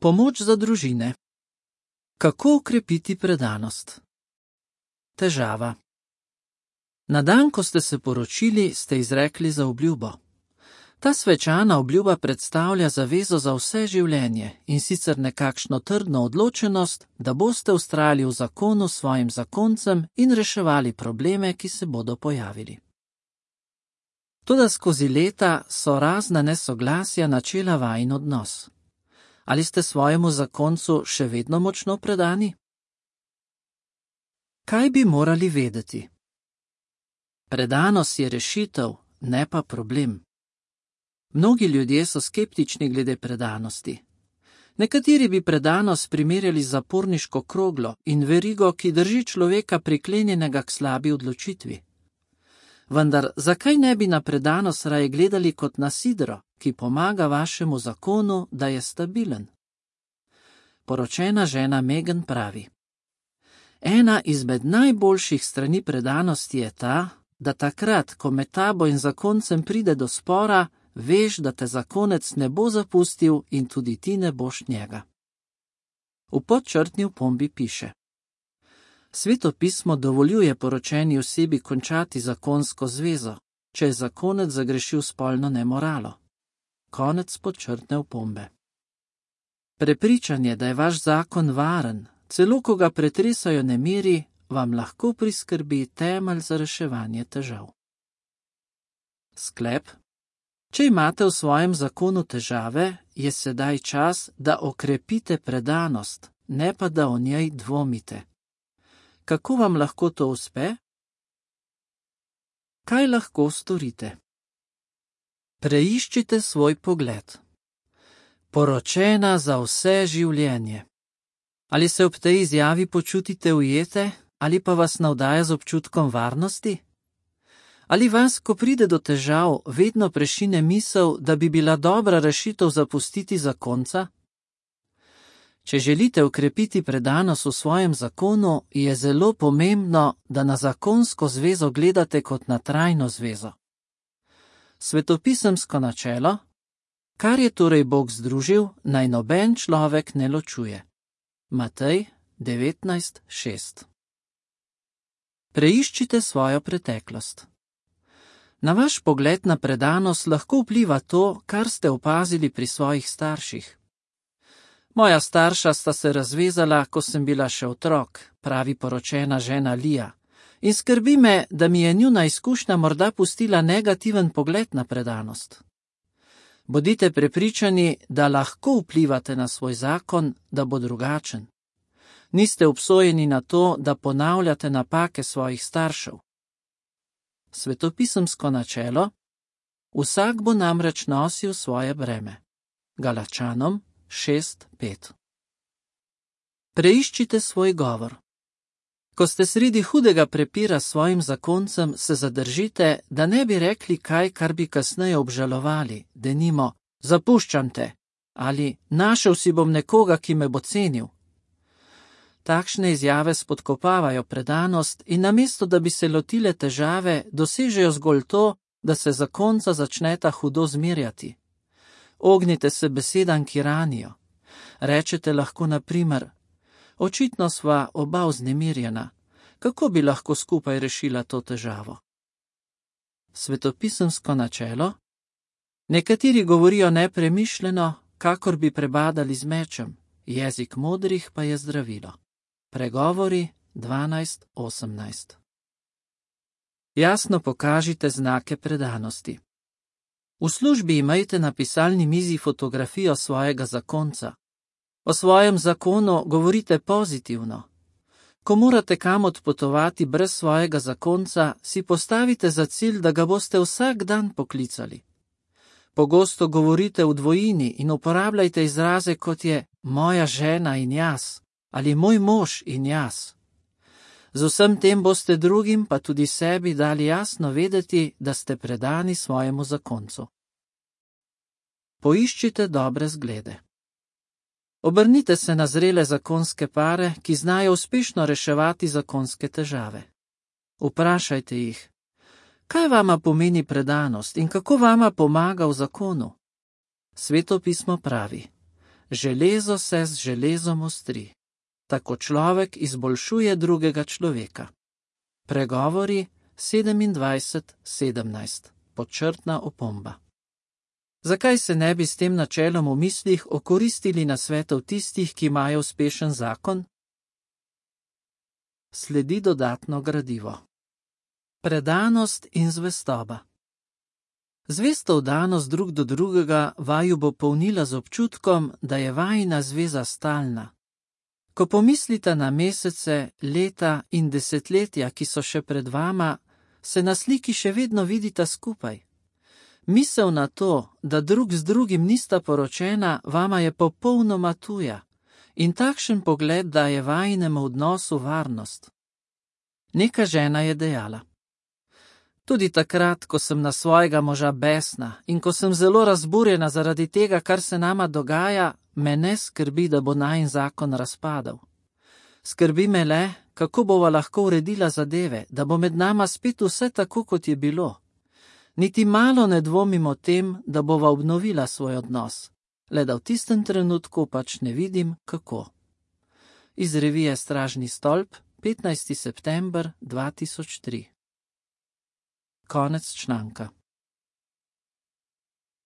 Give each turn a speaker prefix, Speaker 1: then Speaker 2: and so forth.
Speaker 1: Pomoč za družine. Kako okrepiti predanost? Težava. Na dan, ko ste se poročili, ste izrekli zaobljubo. Ta svečana obljuba predstavlja zavezo za vse življenje in sicer nekakšno trdno odločenost, da boste vztrajali v zakonu s svojim zakoncem in reševali probleme, ki se bodo pojavili. Toda skozi leta so razna nesoglasja načela vajin odnos. Ali ste svojemu zakoncu še vedno močno predani? Kaj bi morali vedeti? Predanost je rešitev, ne pa problem. Mnogi ljudje so skeptični glede predanosti. Nekateri bi predanost primerjali z zaporniško kroglo in verigo, ki drži človeka priklenjenega k slabi odločitvi. Vendar zakaj ne bi na predanost raje gledali kot na sidro, ki pomaga vašemu zakonu, da je stabilen? Poročena žena Megan pravi: Ena izmed najboljših strani predanosti je ta, da takrat, ko med tabo in zakoncem pride do spora, veš, da te zakonec ne bo zapustil in tudi ti ne boš njega. V podčrtni opombi piše: Sveto pismo dovoljuje poročeni osebi končati zakonsko zvezo, če je zakonec zagrešil spolno nemoralo. Konec podčrtne opombe. Prepričanje, da je vaš zakon varen, celo ko ga pretresajo nemiri, vam lahko priskrbi temelj za reševanje težav. Sklep. Če imate v svojem zakonu težave, je sedaj čas, da okrepite predanost, ne pa da o njej dvomite. Kako vam lahko to uspe? Kaj lahko storite? Preiščite svoj pogled. Poročena za vse življenje. Ali se ob tej izjavi počutite ujete, ali pa vas navdaja z občutkom varnosti? Ali vas, ko pride do težav, vedno prešine misel, da bi bila dobra rešitev zapustiti zakonca? Če želite okrepiti predanost v svojem zakonu, je zelo pomembno, da na zakonsko zvezo gledate kot na trajno zvezo. Svetopisemsko načelo: kar je torej Bog združil, naj noben človek ne ločuje. Matej 19:6. Preiščite svojo preteklost. Na vaš pogled na predanost lahko vpliva to, kar ste opazili pri svojih starših. Moja starša sta se razvezala, ko sem bila še otrok, pravi poročena žena Lija, in skrbi me, da mi je njuna izkušnja morda pustila negativen pogled na predanost. Bodite prepričani, da lahko vplivate na svoj zakon, da bo drugačen. Niste obsojeni na to, da ponavljate napake svojih staršev. Svetopisemsko načelo: vsak bo namreč nosil svoje breme. Galačanom 6:5. Preiščite svoj govor. Ko ste sredi hudega prepira s svojim zakoncem, se zadržite, da ne bi rekli kaj, kar bi kasneje obžalovali, denimo: zapuščam te, ali našel si bom nekoga, ki me bo cenil. Takšne izjave spodkopavajo predanost in namesto, da bi se lotile težave, dosežejo zgolj to, da se zakonca začneta hudo zmerjati. Ognite se besedam, ki ranijo. Rečete lahko na primer: očitno sva oba vznemirjena, kako bi lahko skupaj rešila to težavo? Svetopisemsko načelo: nekateri govorijo nepremišljeno, kakor bi prebadali z mečem, jezik modrih pa je zdravilo. Pregovori 12:18. Jasno pokažite znake predanosti. V službi imejte na pisalni mizi fotografijo svojega zakonca. O svojem zakonu govorite pozitivno. Ko morate kam odpotovati brez svojega zakonca, si postavite za cilj, da ga boste vsak dan poklicali. Pogosto govorite v dvojini in uporabljajte izraze, kot je moja žena in jaz ali moj mož in jaz. Z vsem tem boste drugim, pa tudi sebi, dali jasno vedeti, da ste predani svojemu zakoncu. Poiščite dobre zglede. Obrnite se na zrele zakonske pare, ki znajo uspešno reševati zakonske težave. Vprašajte jih: kaj vama pomeni predanost in kako vama pomaga v zakonu? Sveto pismo pravi: Železo se z železom ostri. Tako človek izboljšuje drugega človeka. Pregovori 27:17. Podčrtna opomba. Zakaj se ne bi s tem načelom v mislih okoristili nasvetov tistih, ki imajo uspešen zakon? Sledi dodatno gradivo. Predanost in zvestoba. Zvesto vdanost drug do drugega vaju bo polnila z občutkom, da je vajina zveza stalna. Ko pomislite na mesece, leta in desetletja, ki so še pred vama, se na sliki še vedno vidita skupaj. Misel na to, da drug z drugim nista poročena, vama je popolnoma tuja in takšen pogled daje vajinemu odnosu varnost. Neka žena je dejala: tudi takrat, ko sem na svojega moža besna in ko sem zelo razburjena zaradi tega, kar se nama dogaja, me ne skrbi, da bo najin zakon razpadel. Skrbi me le, kako bova lahko uredila zadeve, da bo med nama spet vse tako, kot je bilo. Niti malo ne dvomim o tem, da bova obnovila svoj odnos, le da v tistem trenutku pač ne vidim, kako. Iz revije Stražni stolp, 15. september 2003. Konec članka.